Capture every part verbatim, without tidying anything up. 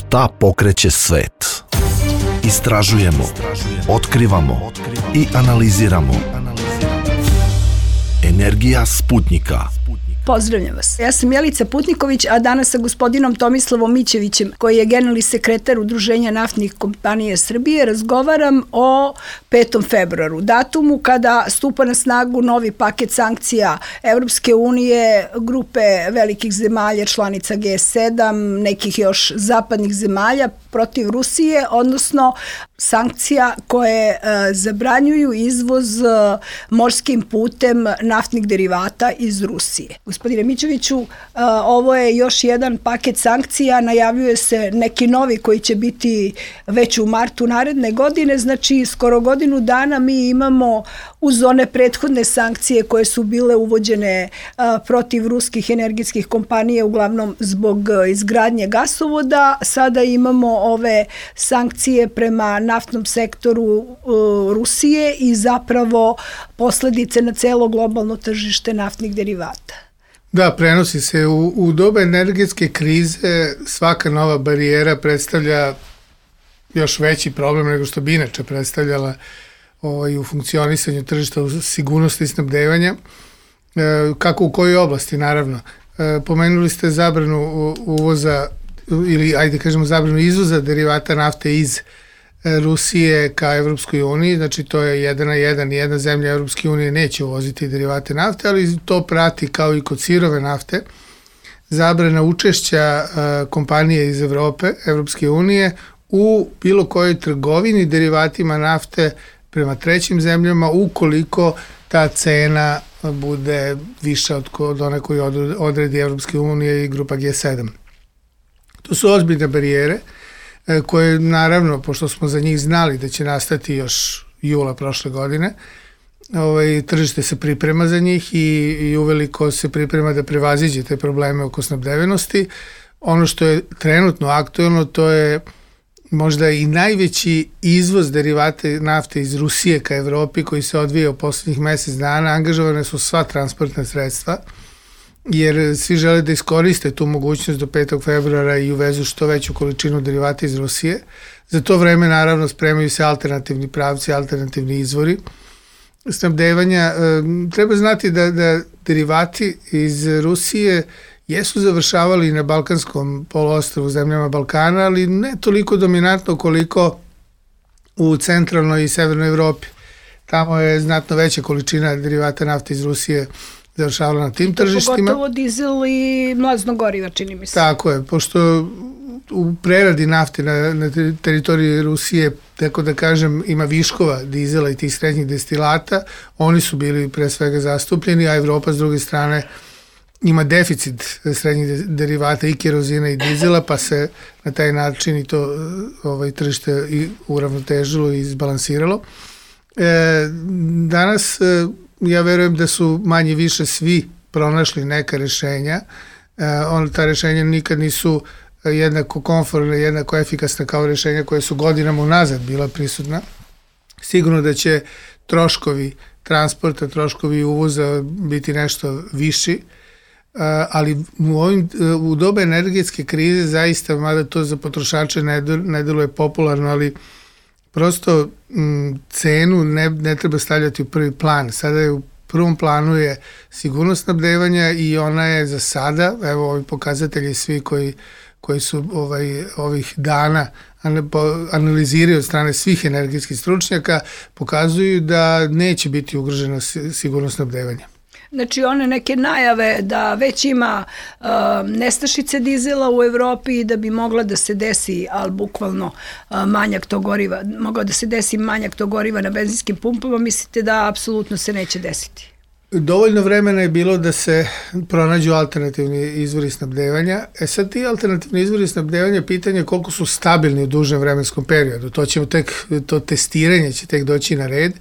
Šta pokreće svet? Istražujemo, otkrivamo i analiziramo. Energija Sputnika. Pozdravljam vas. Ja sam Jelica Putniković, a danas sa gospodinom Tomislavom Mićevićem, koji je generalni sekretar Udruženja naftnih kompanija Srbije, razgovaram o petom februaru, datumu kada stupa na snagu novi paket sankcija Evropske unije, grupe velikih zemalja, članica G sedam, nekih još zapadnih zemalja protiv Rusije, odnosno sankcija koje e, zabranjuju izvoz e, morskim putem naftnih derivata iz Rusije. Gospodine Mićeviću, ovo je još jedan paket sankcija, najavljuje se neki novi koji će biti već u martu naredne godine, znači skoro godinu dana mi imamo uz one prethodne sankcije koje su bile uvođene protiv ruskih energetskih kompanija, uglavnom zbog izgradnje gasovoda, sada imamo ove sankcije prema naftnom sektoru Rusije i zapravo posledice na celo globalno tržište naftnih derivata. Da, prenosi se. U, u doba energetske krize svaka nova barijera predstavlja još veći problem nego što bi inače predstavljala ovaj, u funkcionisanju tržišta u sigurnosti snabdevanja. E, kako u kojoj oblasti, naravno. E, pomenuli ste zabranu uvoza ili, ajde kažemo, zabranu izvoza derivata nafte iz Rusije ka Evropskoj uniji, znači to je jedan na jedan, jedna zemlja Evropske unije neće uvoziti derivate nafte, ali to prati kao i kod sirove nafte, zabrana učešća uh, kompanije iz Evrope, Evropske unije u bilo kojoj trgovini derivatima nafte prema trećim zemljama ukoliko ta cena bude viša od, od one koju odredi Evropske unije i grupa G sedam. To su ozbiljne barijere koje naravno, pošto smo za njih znali da će nastati još jula prošle godine, ovaj, tržište se priprema za njih i, i uveliko se priprema da prevaziđe te probleme oko snabdevenosti. Ono što je trenutno aktuelno, to je možda i najveći izvoz derivata nafte iz Rusije ka Evropi koji se odvija u poslednjih mesec dana. Angažovane su sva transportna sredstva, jer svi žele da iskoriste tu mogućnost do petog februara i uvezu što veću količinu derivata iz Rusije. Za to vreme, naravno, spremaju se alternativni pravci, alternativni izvori snabdevanja. Treba znati da, da derivati iz Rusije jesu završavali na Balkanskom poluostrvu, zemljama Balkana, ali ne toliko dominantno koliko u centralnoj i severnoj Evropi. Tamo je znatno veća količina derivata nafte iz Rusije završavala na tim tržištima. Pogotovo dizel i mlazno goriva, čini mi se. Tako je, pošto u preradi nafte na, na teritoriji Rusije, tako da kažem, ima viškova dizela i tih srednjih destilata, oni su bili pre svega zastupljeni, a Evropa s druge strane ima deficit srednjih derivata i kerozina i dizela, pa se na taj način i to ovaj, tržište i uravnotežilo i izbalansiralo. E, danas ja verujem da su manje više svi pronašli neka rešenja. E, on, ta rešenja nikad nisu jednako komfortna, jednako efikasna kao rešenja koje su godinama unazad bila prisutna. Sigurno da će troškovi transporta, troškovi uvoza biti nešto viši, ali u, ovim, u doba energetske krize zaista, mada to za potrošače ne, ne deluje popularno, ali prosto m, cenu ne, ne treba stavljati u prvi plan. Sada je u prvom planu je sigurnost snabdevanja i ona je za sada, evo ovi pokazatelji svi koji, koji su ovaj, ovih dana analiziraju od strane svih energetskih stručnjaka, pokazuju da neće biti ugrožena sigurnost snabdevanja. Znači one neke najave da već ima uh, nestašice dizela u Evropi i da bi mogla da se desi, ali bukvalno uh, manjak tog goriva, mogao da se desi manjak tog goriva na benzinskim pumpama, mislite da apsolutno se neće desiti? Dovoljno vremena je bilo da se pronađu alternativni izvori snabdevanja. E sad ti alternativni izvori snabdevanja, pitanje je koliko su stabilni u dužem vremenskom periodu. To ćemo tek, to testiranje će tek doći na red,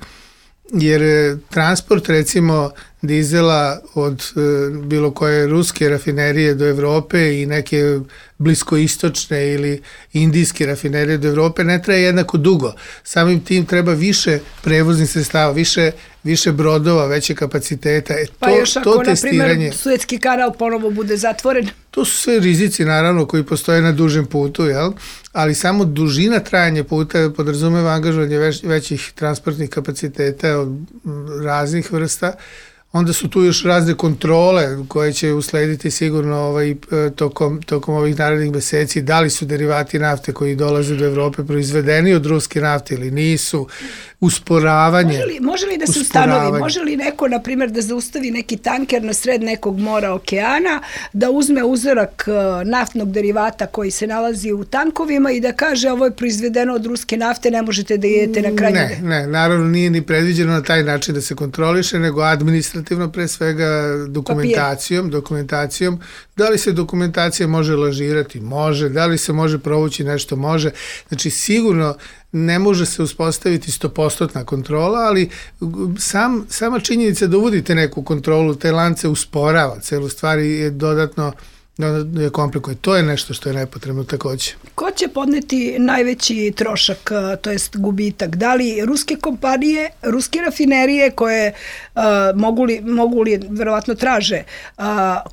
jer transport recimo dizela od e, bilo koje ruske rafinerije do Evrope i neke bliskoistočne ili indijske rafinerije do Evrope ne traje jednako dugo. Samim tim treba više prevoznih sredstava, više, više brodova, veće kapaciteta. E, to, pa još ako, to na primjer, Suetski kanal ponovo bude zatvoren. To su sve rizici naravno koji postoje na dužem putu, jel? Ali samo dužina trajanja puta podrazumeva angažovanje već, većih transportnih kapaciteta od raznih vrsta. Onda su tu još razne kontrole koje će uslediti sigurno ovaj, tokom, tokom ovih narednih meseci. Da li su derivati nafte koji dolaze do Evrope proizvedeni od ruske nafte ili nisu, usporavanje. Može li, može li da se ustanovi, može li neko, na primjer, da zaustavi neki tanker na sred nekog mora, okeana, da uzme uzorak naftnog derivata koji se nalazi u tankovima i da kaže ovo je proizvedeno od ruske nafte, ne možete da idete na krajnje? Ne, ne, naravno nije ni predviđeno na taj način da se kontroliše, nego administrativno pre svega dokumentacijom, Papir. dokumentacijom. Da li se dokumentacija može lažirati? Može. Da li se može provući nešto? Može. Znači sigurno ne može se uspostaviti sto posto kontrola, ali sam, sama činjenica da uvodite neku kontrolu, te lance usporava, celu stvari je dodatno je komplikuje. To je nešto što je nepotrebno takođe. Ko će podneti najveći trošak, to jest gubitak? Da li ruske kompanije, ruske rafinerije koje uh, mogu, li, mogu li, verovatno traže uh,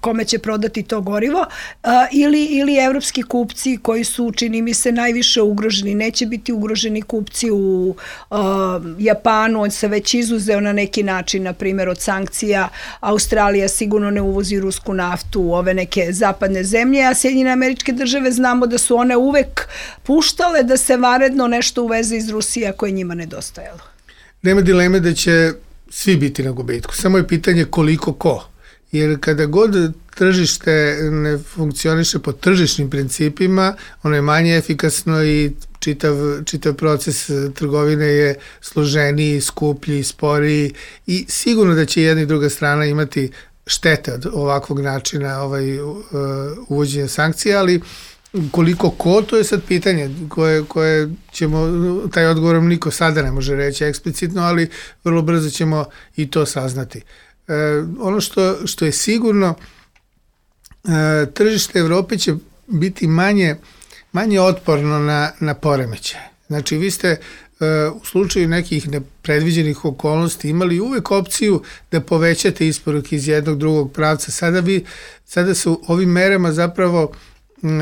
kome će prodati to gorivo, uh, ili, ili evropski kupci koji su, čini mi se, najviše ugroženi? Neće biti ugroženi kupci u uh, Japanu, on se već izuzeo na neki način, na primjer od sankcija. Australija sigurno ne uvozi rusku naftu u ove neke zapadne zemlje, a Sjedinjene Američke Države znamo da su one uvek puštale da se vanredno nešto uveze iz Rusije koje njima nedostajalo. Nema dileme da će svi biti na gubitku, samo je pitanje koliko ko. Jer kada god tržište ne funkcioniše po tržišnim principima, ono je manje efikasno i čitav, čitav proces trgovine je složeniji, skuplji, sporiji i sigurno da će jedna i druga strana imati štete od ovakvog načina ovaj, uvođenja sankcija, ali koliko ko, to je sad pitanje koje, koje ćemo, taj odgovor niko sada ne može reći eksplicitno, ali vrlo brzo ćemo i to saznati. E, ono što, što je sigurno, e, tržište Evrope će biti manje, manje otporno na, na poremećaje. Znači, vi ste u slučaju nekih nepredviđenih okolnosti imali uvek opciju da povećate isporuke iz jednog drugog pravca. Sada, vi, sada su ovim merama zapravo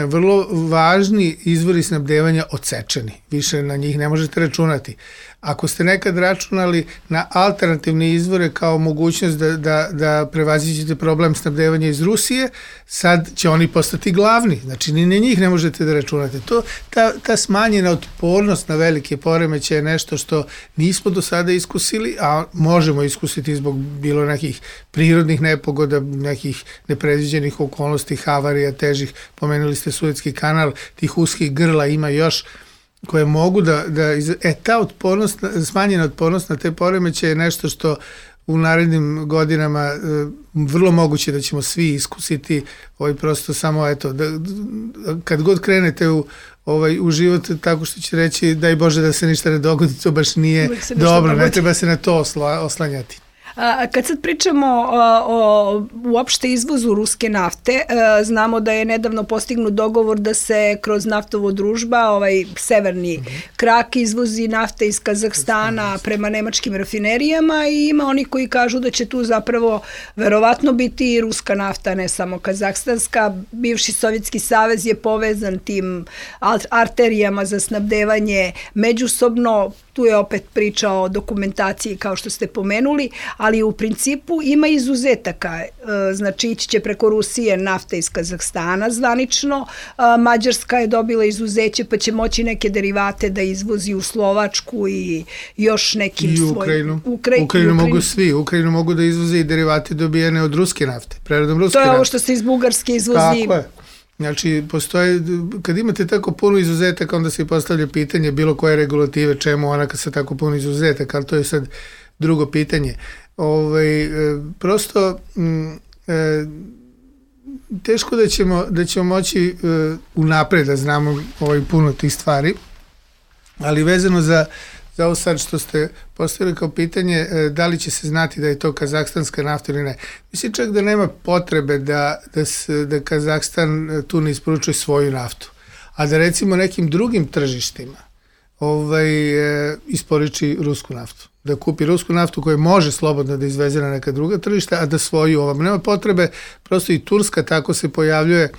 vrlo važni izvori snabdevanja odsečeni. Više na njih ne možete računati. Ako ste nekad računali na alternativne izvore kao mogućnost da, da, da prevaziđete problem snabdevanja iz Rusije, sad će oni postati glavni. Znači, ni na njih ne možete da računate. To, ta, ta smanjena otpornost na velike poremeće je nešto što nismo do sada iskusili, a možemo iskusiti zbog bilo nekih prirodnih nepogoda, nekih nepredviđenih okolnosti, havarija, težih. Pomenuli ste Suetski kanal, tih uskih grla ima još koje mogu da, da e, ta otpornost, smanjena otpornost na te poremeće je nešto što u narednim godinama e, vrlo moguće da ćemo svi iskusiti, ovaj prosto samo eto, da, kad god krenete u, ovaj, u život tako što će reći daj Bože da se ništa ne dogodi, to baš nije dobro, ne treba se na to osla, oslanjati. A, kad sad pričamo o, o uopšte izvozu ruske nafte, a, znamo da je nedavno postignut dogovor da se kroz naftovo družba, ovaj severni mm-hmm. krak izvozi nafte iz Kazahstana prema nemačkim rafinerijama i ima oni koji kažu da će tu zapravo verovatno biti i ruska nafta, ne samo kazahstanska. Bivši Sovjetski savez je povezan tim arterijama za snabdevanje međusobno. Tu je opet priča o dokumentaciji kao što ste pomenuli, ali u principu ima izuzetaka. Znači ići će preko Rusije nafta iz Kazahstana zvanično, Mađarska je dobila izuzeće pa će moći neke derivate da izvozi u Slovačku i još nekim svojim... I Ukrajinu. Ukra... Ukrajinu mogu svi. Ukrajinu mogu da izvoze i derivate dobijene od ruske nafte, preradom ruske nafte. To je ovo što se iz Bugarske izvozi. Tako je. Znači, postoje, kad imate tako puno izuzetaka, onda se postavlja pitanje bilo koje regulative, čemu ona kad se tako puno izuzetaka, ali to je sad drugo pitanje. Ovaj, prosto, m, e, teško da ćemo, da ćemo moći e, unapred da znamo ovaj, puno tih stvari, ali vezano za za ovo sad što ste postavili kao pitanje, da li će se znati da je to kazahstanska nafta ili ne. Mislim čak da nema potrebe da, da, se, da Kazahstan tu ne isporučuje svoju naftu, a da recimo nekim drugim tržištima ovaj, e, isporuči rusku naftu. Da kupi rusku naftu koja može slobodno da izveze na neka druga tržišta, a da svoju ovam. Nema potrebe, prosto i Turska tako se pojavljuje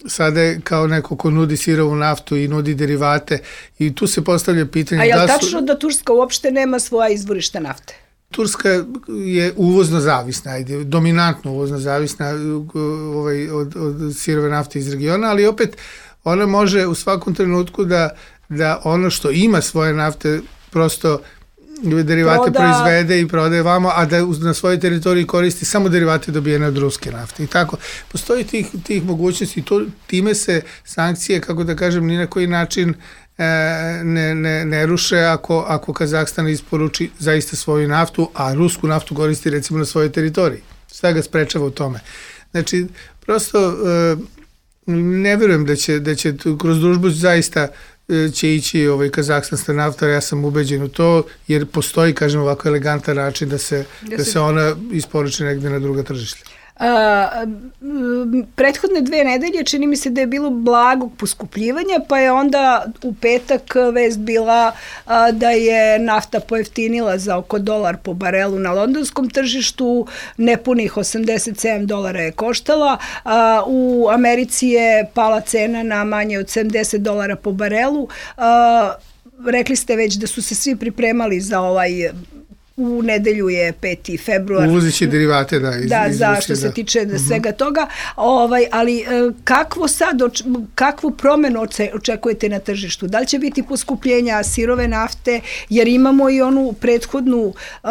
sada je kao neko ko nudi sirovu naftu i nudi derivate i tu se postavlja pitanje... A je li da su... tačno da Turska uopšte nema svoja izvorišta nafte? Turska je uvozno zavisna, ajde, dominantno uvozno zavisna ovaj, od, od sirove nafte iz regiona, ali opet ona može u svakom trenutku da, da ono što ima svoje nafte prosto derivate Proda... proizvede i prodaje vamo, a da na svojoj teritoriji koristi samo derivate dobijene od ruske nafte. I tako, postoji tih, tih mogućnosti, to, time se sankcije, kako da kažem, ni na koji način e, ne, ne, ne ruše ako, ako Kazahstan isporuči zaista svoju naftu, a rusku naftu koristi recimo na svojoj teritoriji. Šta ga sprečava u tome? Znači, prosto e, ne verujem da će, da će kroz družbu zaista će ići ovaj kazahstanska nafta, ja sam ubeđen u to, jer postoji, kažem, ovako elegantan način da se, da se ona isporuči negde na druga tržišta. A, prethodne dve nedelje čini mi se da je bilo blagog poskupljivanja, pa je onda u petak vest bila a, da je nafta pojeftinila za oko dolar po barelu na londonskom tržištu, nepunih osamdeset sedam dolara je koštala, a, u Americi je pala cena na manje od sedamdeset dolara po barelu. A, rekli ste već da su se svi pripremali za ovaj... U nedelju je peti februar. Uvozeći derivate, da. Iz, da, za što se tiče da svega toga. Ovaj, ali kakvo sad, kakvu promenu očekujete na tržištu? Da li će biti poskupljenja sirove nafte? Jer imamo i onu prethodnu, uh,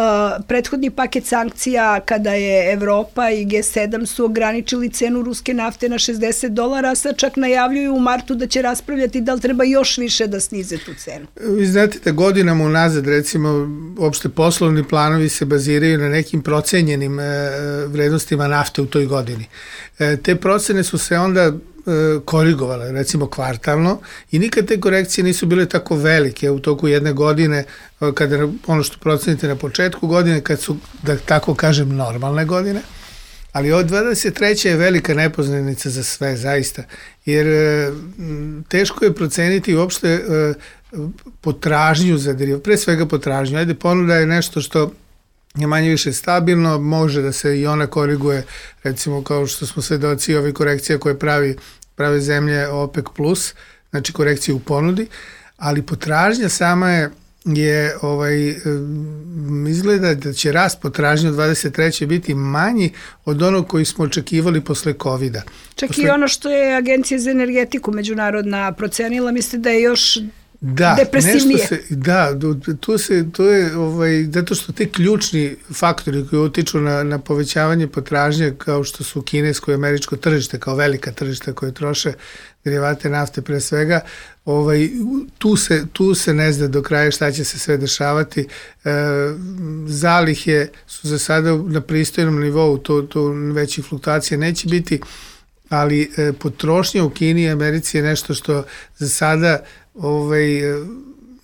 prethodni paket sankcija kada je Evropa i G sedam su ograničili cenu ruske nafte na šezdeset dolara, a sad čak najavljuju u martu da će raspravljati da li treba još više da snize tu cenu. Vi znate da godinama unazad, recimo, opšte poslovni planovi se baziraju na nekim procenjenim e, vrednostima nafte u toj godini. E, te procene su se onda e, korigovale, recimo kvartalno, i nikad te korekcije nisu bile tako velike u toku jedne godine, kada ono što procenite na početku godine, kad su, da tako kažem, normalne godine. Ali od dvadeset treće je velika nepoznanica za sve, zaista, jer e, teško je proceniti uopšte e, potražnju za derivate, pre svega potražnju. Ajde, ponuda je nešto što je manje više stabilno, može da se i ona koriguje, recimo kao što smo svedoci ove korekcije koje pravi, prave zemlje OPEC plus, znači korekcije u ponudi, ali potražnja sama je je ovaj izgleda da će rast potražnje u dvadeset treće biti manji od onog koji smo očekivali posle kovida. Čak posle... i ono što je Agencija za energetiku međunarodna procenila, misle da je još da, depresivnije. Nešto se, da, tu se, to je, ovaj, zato što te ključni faktori koji utiču na, na povećavanje potražnje, kao što su kinesko i američko tržište, kao velika tržišta koje troše derivate nafte pre svega, ovaj, tu, se, tu se ne zna do kraja šta će se sve dešavati. E, zalihe su za sada na pristojnom nivou, to, to većih fluktuacija neće biti, ali e, potrošnja u Kini i Americi je nešto što za sada ovaj,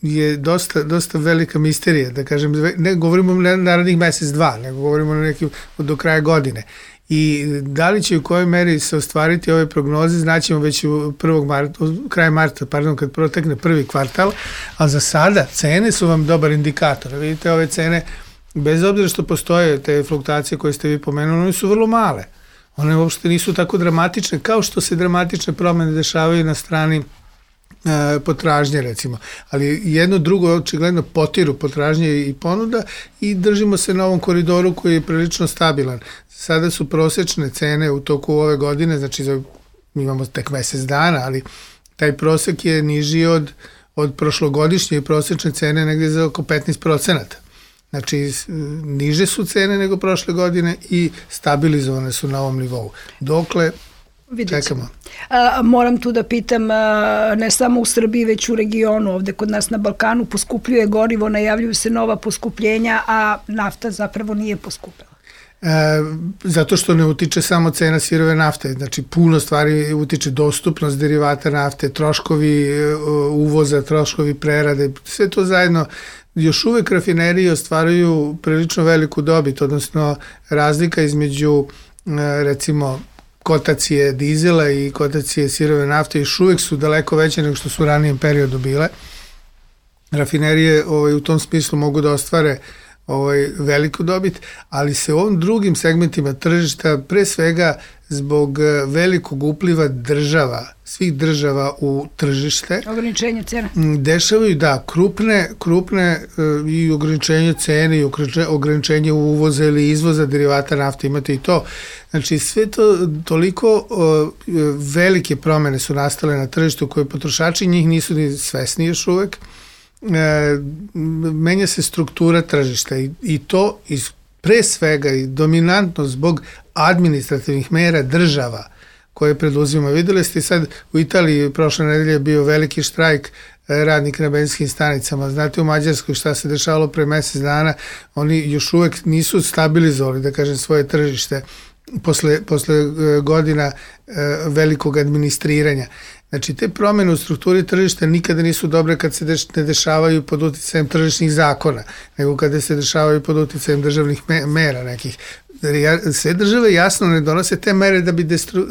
je dosta, dosta velika misterija, da kažem, ne govorimo na narednih mesec, dva, nego govorimo na nekim do kraja godine. I da li će u kojoj meri se ostvariti ove prognoze, znaćemo već u prvog marta, kraj marta, pardon, kad protekne prvi kvartal, ali za sada cene su vam dobar indikator. Vidite, ove cene, bez obzira što postoje te fluktuacije koje ste vi pomenuli, one su vrlo male. One uopšte nisu tako dramatične, kao što se dramatične promene dešavaju na strani e, potražnje, recimo. Ali jedno drugo, očigledno, potiru potražnje i ponuda i držimo se na ovom koridoru koji je prilično stabilan. Sada su prosečne cene u toku ove godine, znači mi imamo tek mesec dana, ali taj prosek je niži od, od prošlogodišnje prosečne cene negde za oko petnaest procenata. Znači, niže su cene nego prošle godine i stabilizovane su na ovom nivou. Dokle, čekamo. A, moram tu da pitam, a, ne samo u Srbiji, već u regionu, ovde kod nas na Balkanu, poskupljuje gorivo, najavljuju se nova poskupljenja, a nafta zapravo nije poskupila. E, zato što ne utiče samo cena sirove nafte, znači puno stvari utiče, dostupnost derivata nafte, troškovi uvoza, troškovi prerade, sve to zajedno. Još uvek rafinerije ostvaruju prilično veliku dobit, odnosno razlika između recimo kotacije dizela i kotacije sirove nafte još uvek su daleko veće nego što su u ranijem periodu bile. Rafinerije ovaj, u tom smislu mogu da ostvare ovaj, veliku dobit, ali se u ovim drugim segmentima tržišta pre svega zbog velikog upliva država, svih država u tržište. Ograničenje cena. Dešavaju, da, krupne, krupne i ograničenje cene i ograničenje uvoza ili izvoza derivata nafte, imate i to. Znači, sve to, toliko velike promene su nastale na tržištu koje potrošači njih nisu ni svesni još uvek. Menja se struktura tržišta i, i to iz pre svega i dominantno zbog administrativnih mera država koje preduzima. Videli ste sad u Italiji prošle nedelje je bio veliki štrajk radnika na benzinskim stanicama. Znate u Mađarskoj šta se dešavalo pre mesec dana, oni još uvek nisu stabilizovali, da kažem, svoje tržište posle, posle godina velikog administriranja. Znači, te promene u strukturi tržišta nikada nisu dobre kad se deš, ne dešavaju pod uticajem tržišnih zakona, nego kada se dešavaju pod uticajem državnih me, mera nekih. Sve države jasno ne donose te mere da bi destru,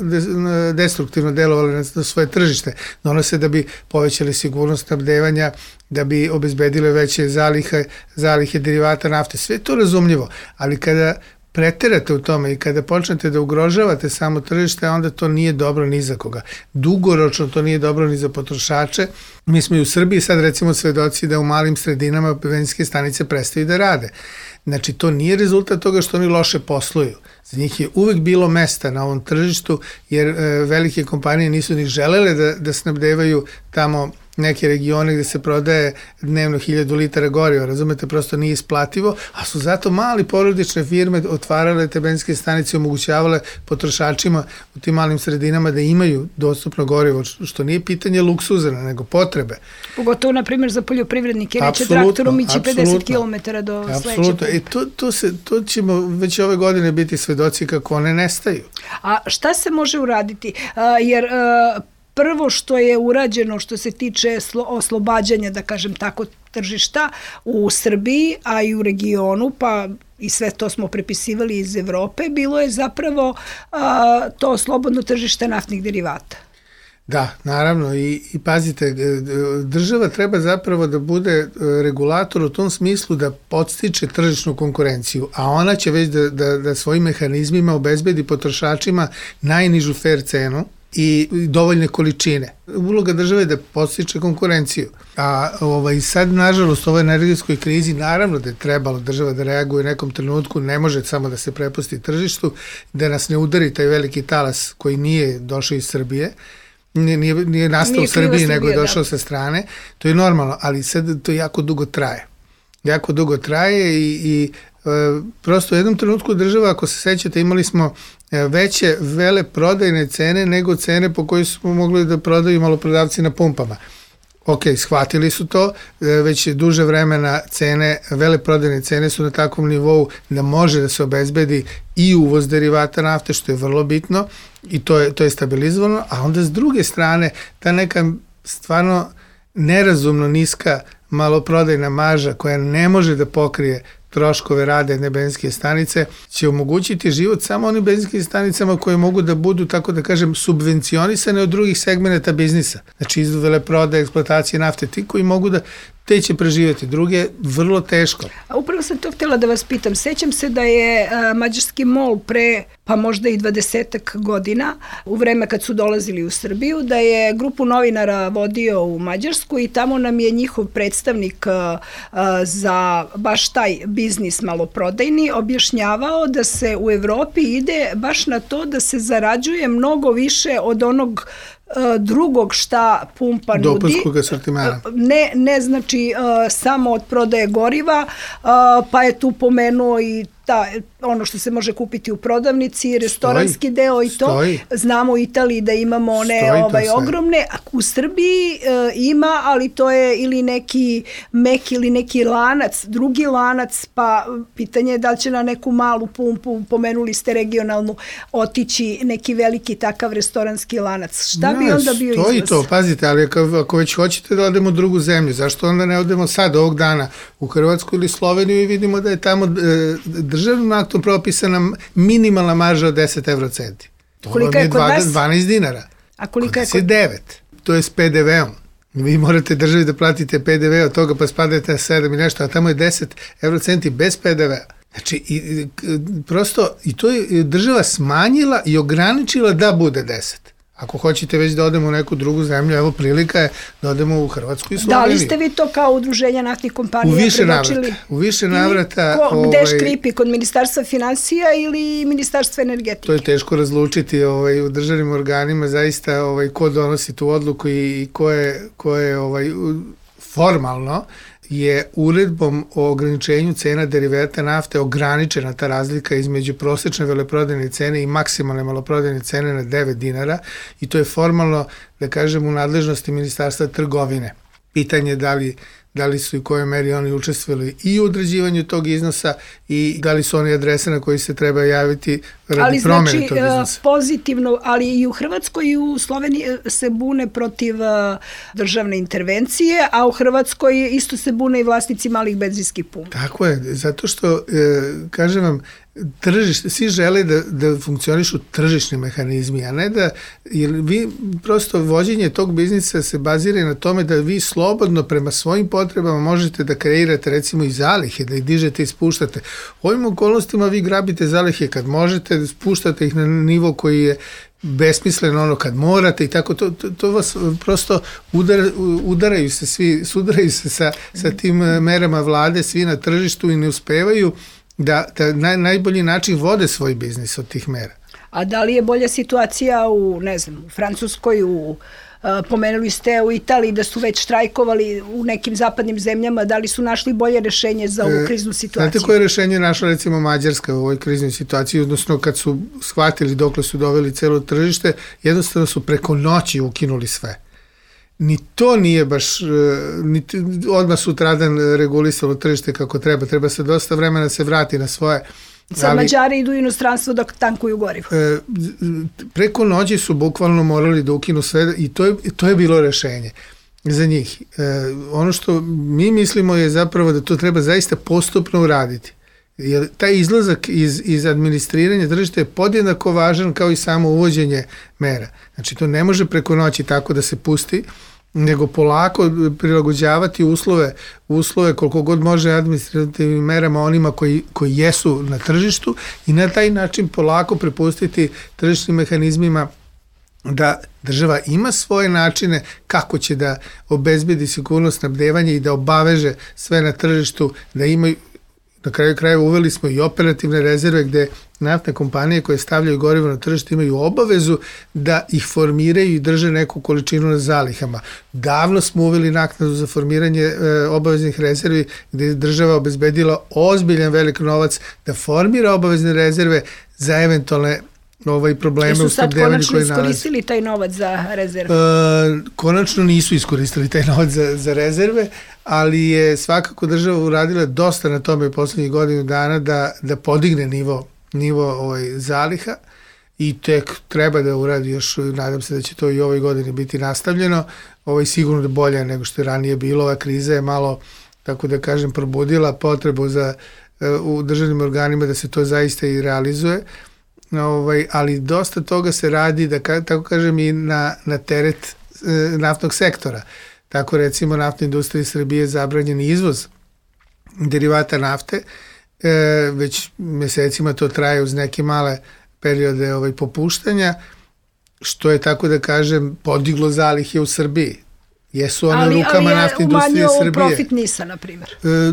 destruktivno delovali na svoje tržište. Donose da bi povećali sigurnost snabdevanja, da bi obezbedile veće zalihe, zalihe derivata nafte. Sve to razumljivo, ali kada preterate u tome i kada počnete da ugrožavate samo tržište, onda to nije dobro ni za koga. Dugoročno to nije dobro ni za potrošače. Mi smo i u Srbiji sad recimo svedoci da u malim sredinama benzinske stanice prestaju da rade. Znači, to nije rezultat toga što oni loše posluju. Za njih je uvek bilo mesta na ovom tržištu, jer e, velike kompanije nisu ni želele da, da snabdevaju tamo neke regione gde se prodaje dnevno hiljadu litara goriva, razumete, prosto nije isplativo, a su zato mali porodične firme otvarale te benzinske stanice i omogućavale potrošačima u tim malim sredinama da imaju dostupno gorivo, što nije pitanje luksuza, nego potrebe. Pogotovo, na primjer, za poljoprivrednike, neće traktorom ići pedeset kilometara do sledećeg. Apsolutno, i to, to, se, to ćemo već ove godine biti svedoci kako one nestaju. A šta se može uraditi? A, jer a, prvo što je urađeno što se tiče oslobađanja, da kažem tako, tržišta u Srbiji, a i u regionu, pa i sve to smo prepisivali iz Evrope, bilo je zapravo a, to slobodno tržište naftnih derivata. Da, naravno, i, i pazite, država treba zapravo da bude regulator u tom smislu da podstiče tržišnu konkurenciju, a ona će već da, da, da svojim mehanizmima obezbedi potrošačima najnižu fair cenu i dovoljne količine. Uloga države je da podstiče konkurenciju. A ovaj, sad, nažalost, u ovoj energetskoj krizi, naravno da je trebalo država da reaguje u nekom trenutku, ne može samo da se prepusti tržištu, da nas ne udari taj veliki talas koji nije došao iz Srbije, nije, nije, nije nastao nije u Srbiji, Srbije, nego je došao da. sa strane. To je normalno, ali sad to jako dugo traje. Jako dugo traje i, i e, prosto u jednom trenutku država, ako se sećate, imali smo veće vele prodajne cene nego cene po kojoj smo mogli da prodaju maloprodavci na pumpama. Ok, shvatili su to, već duže vremena cene, vele prodajne cene su na takvom nivou da može da se obezbedi i uvoz derivata nafte, što je vrlo bitno i to je, to je stabilizovano, a onda s druge strane ta neka stvarno nerazumno niska maloprodajna marža koja ne može da pokrije troškove rada jedne benzinske stanice, će omogućiti život samo onim benzinskim stanicama koje mogu da budu, tako da kažem, subvencionisane od drugih segmenta biznisa. Znači, iz veleprodaje, eksploatacije nafte, ti koji mogu da te će preživjeti, druge vrlo teško. A upravo sam to htjela da vas pitam. Sećam se da je a, mađarski MOL pre, pa možda i dvadesetak godina, u vreme kad su dolazili u Srbiju, da je grupu novinara vodio u Mađarsku i tamo nam je njihov predstavnik a, a, za baš taj biznis maloprodajni objašnjavao da se u Evropi ide baš na to da se zarađuje mnogo više od onog drugog šta pumpa nudi. Dopunskog asortimana. Ne, ne znači uh, samo od prodaje goriva, uh, pa je tu pomenuo i ta, ono što se može kupiti u prodavnici, restoranski stoji, deo i to. Stoji. Znamo u Italiji da imamo one ovaj, ogromne. U Srbiji uh, ima, ali to je ili neki mek ili neki lanac, drugi lanac, pa pitanje je da li će na neku malu pumpu, pomenuli ste regionalnu, otići neki veliki takav restoranski lanac. Šta ja, bi onda bio izlaz? Stoji to, pazite, ali ako, ako već hoćete da odemo u drugu zemlju, zašto onda ne odemo sad, ovog dana, u Hrvatsku ili Sloveniju i vidimo da je tamo e, državnim aktom propisana minimalna marža od deset evrocenti. To kolika je kod vas? dvanaest dinara. A kolika je kod devet? To je s pe de veom. Vi morate državi da platite pe de ve od toga pa spadate na sedam i nešto, a tamo je deset evrocenti bez pe de vea. Znači, i, prosto, i to je država smanjila i ograničila da bude deset. Ako hoćete već da odemo u neku drugu zemlju, evo prilika je da odemo u Hrvatsku i Sloveniju. Da li ste vi to kao udruženja naftnih kompanija u više predočili? Navrata, u više navrata. Ko, ovaj, gde škripi, kod Ministarstva finansija ili Ministarstva energetike? To je teško razlučiti ovaj, u državnim organima, zaista ovaj, ko donosi tu odluku i, i ko je, ko je ovaj, formalno je uredbom o ograničenju cena derivata nafte ograničena ta razlika između prosečne veleprodajne cene i maksimalne maloprodajne cene na devet dinara i to je formalno, da kažem, u nadležnosti Ministarstva trgovine. Pitanje je da li da li su i kojoj meri oni učestvovali i u određivanju tog iznosa i da li su oni adrese na koji se treba javiti radi ali promene znači, tog iznosa. Ali znači pozitivno, ali i u Hrvatskoj i u Sloveniji se bune protiv državne intervencije, a u Hrvatskoj isto se bune i vlasnici malih benzinskih pumpa. Tako je, zato što, e, kažem vam, tržište, svi žele da, da funkcionišu tržišni mehanizmi, a ne da, jer vi prosto vođenje tog biznisa se bazira na tome da vi slobodno prema svojim potrebama možete da kreirate recimo i zalihe, da ih dižete i spuštate. U ovim okolnostima vi grabite zalihe kad možete, spuštate ih na nivo koji je besmisleno ono kad morate i tako, to, to, to vas prosto udar, udaraju se svi, sudaraju se sa, sa tim merama vlade, svi na tržištu i ne uspevaju da, da na najbolji način vode svoj biznis od tih mera. A da li je bolja situacija u, ne znam, u Francuskoj, u pomenuli ste u Italiji da su već štrajkovali u nekim zapadnim zemljama, da li su našli bolje rešenje za ovu kriznu situaciju? Znate koje rešenje je našla recimo Mađarska u ovoj kriznoj situaciji, odnosno kad su shvatili dokle su doveli celo tržište, jednostavno su preko noći ukinuli sve. Ni to nije baš, ni odmah sutradan regulisalo tržište kako treba, treba se dosta vremena se vrati na svoje. Sad ali, Mađari idu u inostranstvo dok tankuju gorivo. E, preko noći su bukvalno morali da ukinu sve i to je, to je bilo rešenje za njih. E, ono što mi mislimo je zapravo da to treba zaista postupno uraditi. Jer taj izlazak iz, iz administriranja tržišta je podjednako važan kao i samo uvođenje mera. Znači to ne može preko noći tako da se pusti, nego polako prilagođavati uslove, uslove koliko god može administrativnim merama onima koji, koji jesu na tržištu i na taj način polako prepustiti tržišnim mehanizmima da država ima svoje načine kako će da obezbedi sigurnost snabdevanja i da obaveže sve na tržištu, da imaju. Na kraju krajeva uveli smo i operativne rezerve gde naftne kompanije koje stavljaju gorivo na tržište imaju obavezu da ih formiraju i drže neku količinu na zalihama. Davno smo uveli naknadu za formiranje e, obaveznih rezervi gde je država obezbedila ozbiljan velik novac da formira obavezne rezerve za eventualne ovaj probleme u snabdevanju koji nalazi. Jesu sad konačno iskoristili taj novac za rezerve? E, konačno nisu iskoristili taj novac za, za rezerve, ali je svakako država uradila dosta na tome poslednjih godinu dana da, da podigne nivo, nivo ovaj, zaliha i tek treba da uradi još, nadam se da će to i ovoj godini biti nastavljeno, ovaj, sigurno da bolje nego što je ranije bilo. Ova kriza je malo, tako da kažem, probudila potrebu za, u državnim organima da se to zaista i realizuje. Ovaj, ali dosta toga se radi, da tako kažem, i na, na teret e, naftnog sektora. Tako recimo naftna industrija Srbije je zabranjen izvoz derivata nafte, e, već mesecima to traje uz neke male periode ovaj, popuštanja, što je tako da kažem podiglo zalihe u Srbiji. Jesu one ali, rukama ali naftne industrije Srbije. Ali je umanjio profit NIS-a, na primjer. E,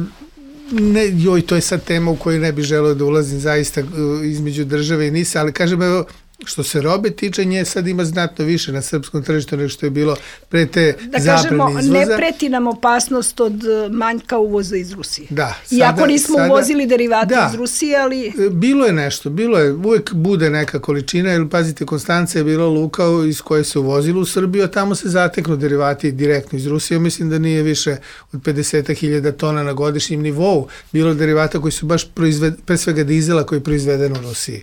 Ne, joj, to je sad tema u kojoj ne bi želeo da ulazim zaista između države i NIS-a, ali kažem, evo, što se robe tiče, nje sad ima znatno više na srpskom tržištu nego što je bilo pre te da zabrane izvoza. Da kažemo, ne preti nam opasnost od manjka uvoza iz Rusije. Da. Sada, iako nismo sada, uvozili derivate da, iz Rusije, ali... Bilo je nešto, bilo je, uvek bude neka količina, jer pazite, Konstanca je bila luka iz koje se uvozilo u Srbiju, a tamo se zateknu derivati direktno iz Rusije. Mislim da nije više od pedeset hiljada tona na godišnjem nivou bilo derivata koji su baš proizved, pre svega dizela koji je proizveden u Rusiji.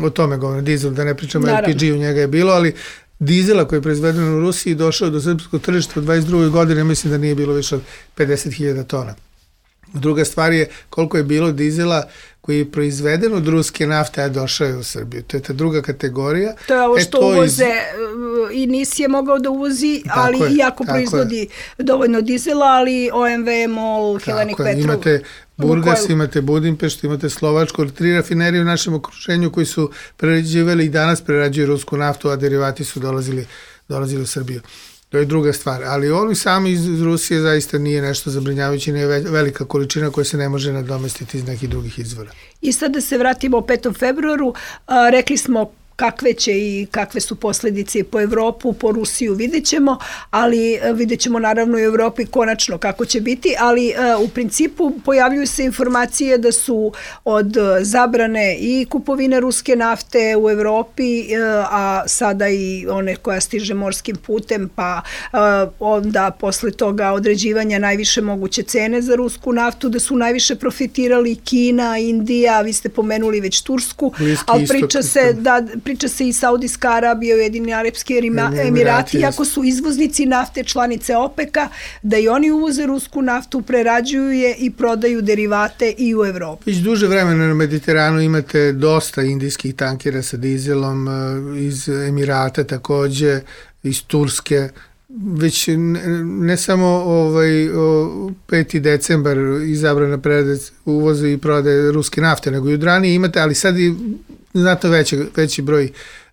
O tome govorim, dizel, da ne pričamo, L P G u njega je bilo, ali dizela koji je proizveden u Rusiji došao do srpskog tržišta u dvadeset drugoj godine, mislim da nije bilo više od pedeset hiljada tona. Druga stvar je koliko je bilo dizela koji je proizveden od ruske nafte, a došao je u Srbiju. To je ta druga kategorija. To je ovo što e, uvoze iz... i NIS je mogao da uvozi, tako ali je, iako proizvodi je. dovoljno dizela, ali O M V, MOL, Hellenic Petrol. Imate Burgas, Lukoil. imate Budimpeštu, imate Slovačku, tri rafinerije u našem okruženju koji su prerađivali i danas prerađuju rusku naftu, a derivati su dolazili, dolazili u Srbiju. To je druga stvar, ali oni sami iz Rusije zaista nije nešto zabrinjavajuće, nije velika količina koja se ne može nadomestiti iz nekih drugih izvora. I sad da se vratimo o petom februaru, a, rekli smo kakve će i kakve su posljedice po Evropu, po Rusiju vidjet ćemo, ali vidjet ćemo naravno i u Evropi konačno kako će biti, ali uh, u principu pojavljuju se informacije da su od zabrane i kupovine ruske nafte u Evropi, uh, a sada i one koja stiže morskim putem, pa uh, onda posle toga određivanja najviše moguće cene za rusku naftu, da su najviše profitirali Kina, Indija, vi ste pomenuli već Tursku, Bliski ali istok, priča se da priča se i Saudijska Arabija, Ujedinjeni Arapski Emirati, iako su izvoznici nafte članice OPEC-a, da i oni uvoze rusku naftu, prerađuju je i prodaju derivate i u Evropi. Već duže vremena na Mediteranu imate dosta indijskih tankera sa dizelom, iz Emirata takođe, iz Turske. Već ne, ne samo ovaj, o, peti decembar izabrana predac uvozu i prodaje ruske nafte, nego i od ranije imate, ali sad i znatno veći, veći broj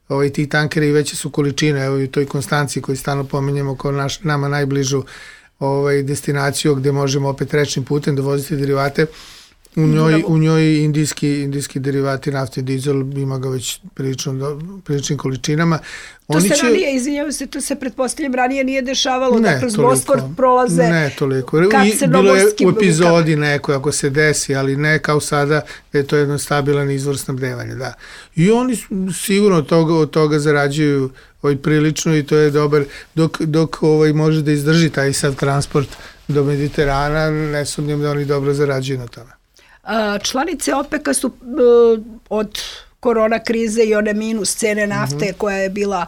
ovaj, tih tankera i veće su količine, evo i u toj Konstanciji koju stalno pominjemo kao naš, nama najbližu ovaj, destinaciju gde možemo opet rečnim putem dovoziti derivate. U njoj, u njoj indijski, indijski derivati nafte i dizel ima ga već prilično, priličnim količinama. To Oni se će... ranije, izvinjavam se, to se pretpostavljam ranije nije dešavalo, ne, da kroz toliko, Bosfor prolaze ne toliko. kad Bilo je u epizodi neko ako se desi, ali ne kao sada da je to jedan stabilan izvor snabdevanja. Da. I oni sigurno od toga, od toga zarađuju ovaj, prilično i to je dobar, dok, dok ovaj, može da izdrži taj sav transport do Mediterana, ne sumnjam da oni dobro zarađuju na tome. Članice OPEC-a su od korona krize i one minus cene nafte mm-hmm. koja je bila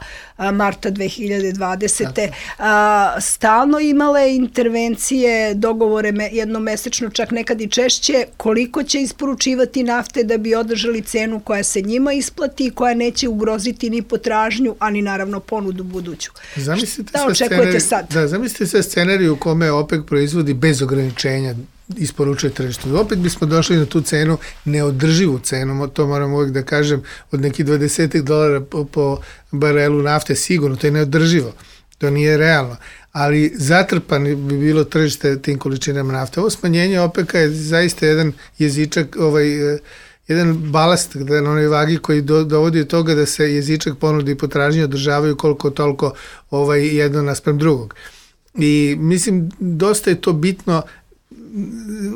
marta dve hiljade dvadesete. A, stalno imale intervencije, dogovore me, jednomesečno, čak nekad i češće, koliko će isporučivati nafte da bi održali cenu koja se njima isplati i koja neće ugroziti ni potražnju, a ni naravno ponudu buduću. Zamislite Šta očekujete sad? Da, zamislite sve scenariju u kome OPEC proizvodi bez ograničenja isporučuje tržištu. Opet bismo došli na tu cenu, neodrživu cenu, to moram uvijek da kažem, od nekih dvadeset dolara po, po barelu nafte, sigurno, to je neodrživo, to nije realno, ali zatrpan bi bilo tržište tim količinama nafte. Ovo smanjenje OPEC-a je zaista jedan jezičak, ovaj, jedan balast na onoj vagi koji do, dovodi od toga da se jezičak ponude i potražnje održavaju koliko toliko ovaj, jedno naspram drugog. I mislim, dosta je to bitno.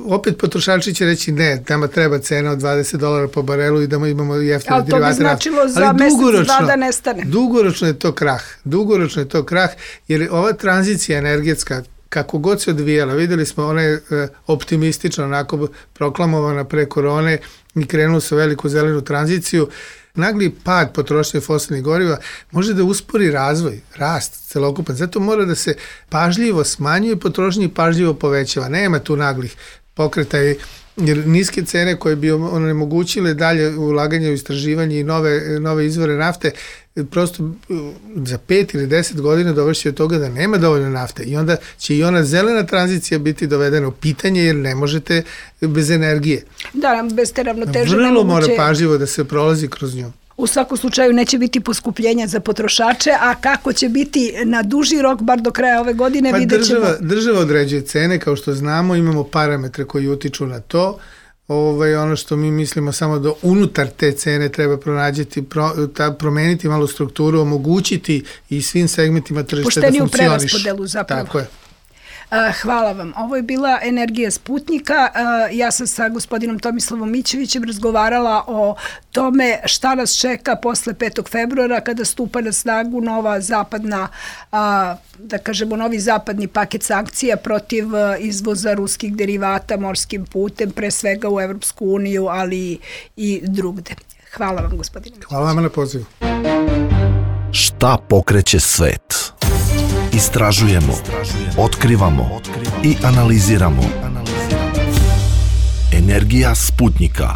Opet potrošači će reći ne, nama treba cena od dvadeset dolara po barelu i da imamo jeftine derivate. Ali to bi značilo za mesec, dva da nestane. Dugoročno je to krah. Dugoročno je to krah, jer ova tranzicija energetska, kako god se odvijala, videli smo, ona je optimistično onako proklamovana pre korone i krenulo se u veliku zelenu tranziciju. Nagli pad potrošnje fosilnih goriva može da uspori razvoj, rast celokupan. Zato mora da se pažljivo smanjuje potrošnje i pažljivo povećava. Nema tu naglih pokretaja, jer niske cene koje bi onemogućile dalje ulaganje u istraživanje i nove, nove izvore nafte, prosto za pet ili deset godina dovešće od toga da nema dovoljno nafte i onda će i ona zelena tranzicija biti dovedena u pitanje jer ne možete bez energije. Da, bez te ravnoteže Vrlo nemoguće... mora pažljivo da se prolazi kroz nju. U svakom slučaju neće biti poskupljenja za potrošače, a kako će biti na duži rok, bar do kraja ove godine, pa vidjet ćemo. Država, država određuje cene, kao što znamo, imamo parametre koji utiču na to. Ovaj, ono što mi mislimo samo da unutar te cene treba pronađeti, pro, ta, promeniti malo strukturu, omogućiti i svim segmentima tržišta da funkcioniš. Pošteniju preraspodelu zapravo. Tako je. Hvala vam. Ovo je bila Energija Sputnika. Ja sam sa gospodinom Tomislavom Mićevićem razgovarala o tome šta nas čeka posle petog februara kada stupa na snagu nova zapadna, da kažemo novi zapadni paket sankcija protiv izvoza ruskih derivata morskim putem, pre svega u Evropsku uniju, ali i drugde. Hvala vam, gospodine Mićević. Hvala vam na pozivu. Šta pokreće svet? Istražujemo, otkrivamo i analiziramo. Energija Sputnika.